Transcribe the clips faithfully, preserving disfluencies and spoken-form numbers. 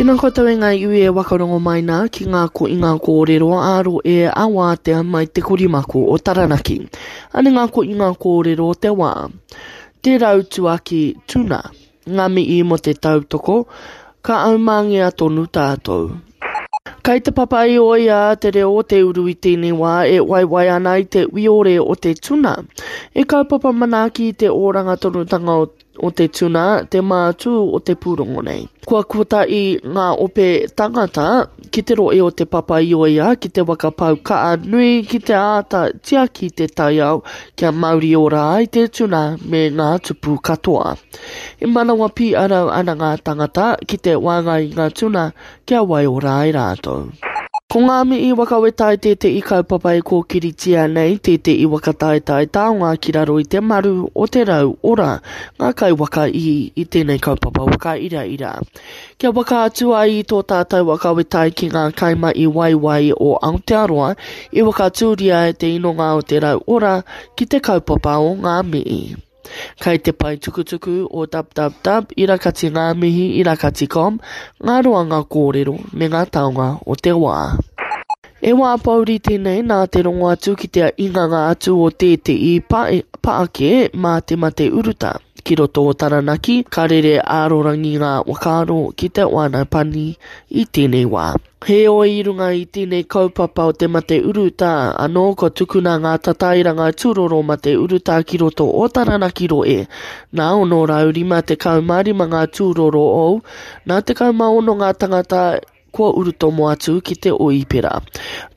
Tēnā koutou e ngā iwi e wakarongo mai nā ki ngā ko i ngā kōrero ā rohe a wātea mai te korimako o Taranaki. Ane ngā ko i ngā kōrero o te wā. Te rau tuaki tuna. Ngā mihi mo te tautoko, ka aumangea tonu tātou. Kai te papa i oia te reo o te uru i tēnei wā e waiwai ana i te wiore o te tuna. E kaupapa manaaki i te oranga tonutanga o, o te tuna, te mātū o te pūrongo nei. Kua kota i ngā ope tangata ki te roe o te papa i oia, ki te waka pau kaa nui, ki te āta tiaki te taiao, kia mauri ora ai te tuna me ngā tupu katoa. E manawa pīarau ana ngā tangata ki te wāngai i ngā tuna kia waiora ai rātou. Ko ngā mihi wakawetai tētehi kaupapa e kōkiritia nei, tētehi whakataetae taonga ki raro i te maru o te rau ora, ngā kaiwaka i, i tēnei kaupapa whakairaira. Kia waka atu ai i tō tātou wakawetai ki ngā kaima i waiwai o Aotearoa, i wakatūria e te inonga o te rau ora ki te kaupapa o ngā mihi. Kai te pae tukutuku o www irakati ngā mihi irakati com, ngā roanga kōrero me ngā taonga o te wā. E wā pauri tēnei nā te rongo atu ki te inganga atu o tētehi paake mā te mate uruta. Ki roto o Taranaki, ka rere ārorangi ngā whakaaro ki te wānau pani i tēnei wā. Heoi i runga i tēnei kaupapa o te mate urutā, anō kua tukuna ngā tatairanga tūroro mate urutā ki roto o Taranaki roe. Nā ono rau rima tekau mā rima ngā tūroro ou, nā tekau mā ono ngā tangata kua urutomo atu ki te oipera.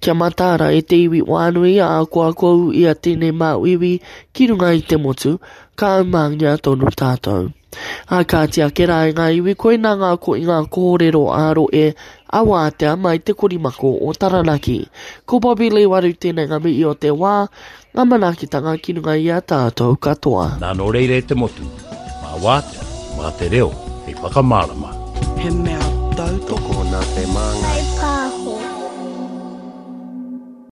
Kia mataara e te iwi wānui a kua kou ia tēnei māuiui ki runga i te motu, ka aumāngia tonu tātou. A kāti ake rā i ngā iwi koina ngā ko i ngā kōrero ā rohe a wātea mai te korimako o Taranaki. Ko Bobby Lee Waru tēnei ngā mihi o te wā, ngā manaakitanga ki runga i a tātou katoa. Nā nō reira e te motu, mā wātea, mā te reo, hei whakamārama. He mea tautoko Toko nā te māngai. Kai